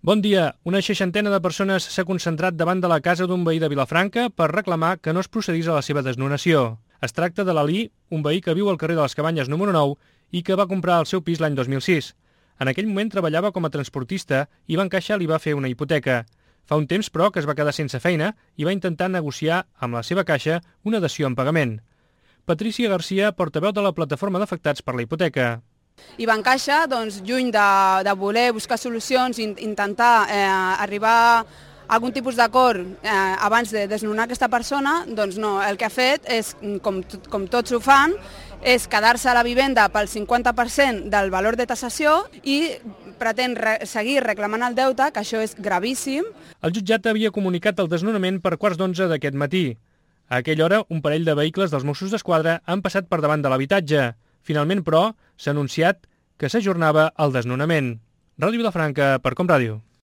Bon dia. Una seixantena de persones s'ha concentrat davant de la casa d'un veí de Vilafranca per reclamar que no es procedís a la seva desnonació. Es tracta de l'Alí, un veí que viu al carrer de les Cabanyes número 9 i que va comprar el seu pis l'any 2006. En aquell moment treballava com a transportista i Bancaixa li va fer una hipoteca. Fa un temps, però, que es va quedar sense feina i va intentar negociar amb la seva caixa una dació en pagament. Patricia Garcia, portaveu de la plataforma d'afectats per la hipoteca. I Bancaixa, lluny de voler buscar solucions, intentar arribar a algun tipus d'acord abans de desnonar aquesta persona, no, el que ha fet és, com tots ho fan, és quedar-se a la vivenda pel 50% del valor de tasació i pretén seguir reclamant el deute, que això és gravíssim. El jutjat havia comunicat el desnonament per 11:15 d'aquest matí. A aquella hora, un parell de vehicles dels Mossos d'Esquadra han passat per davant de l'habitatge. Finalment, però, s'ha anunciat que s'ajornava el desnonament. Ràdio Vilafranca, per Com Ràdio.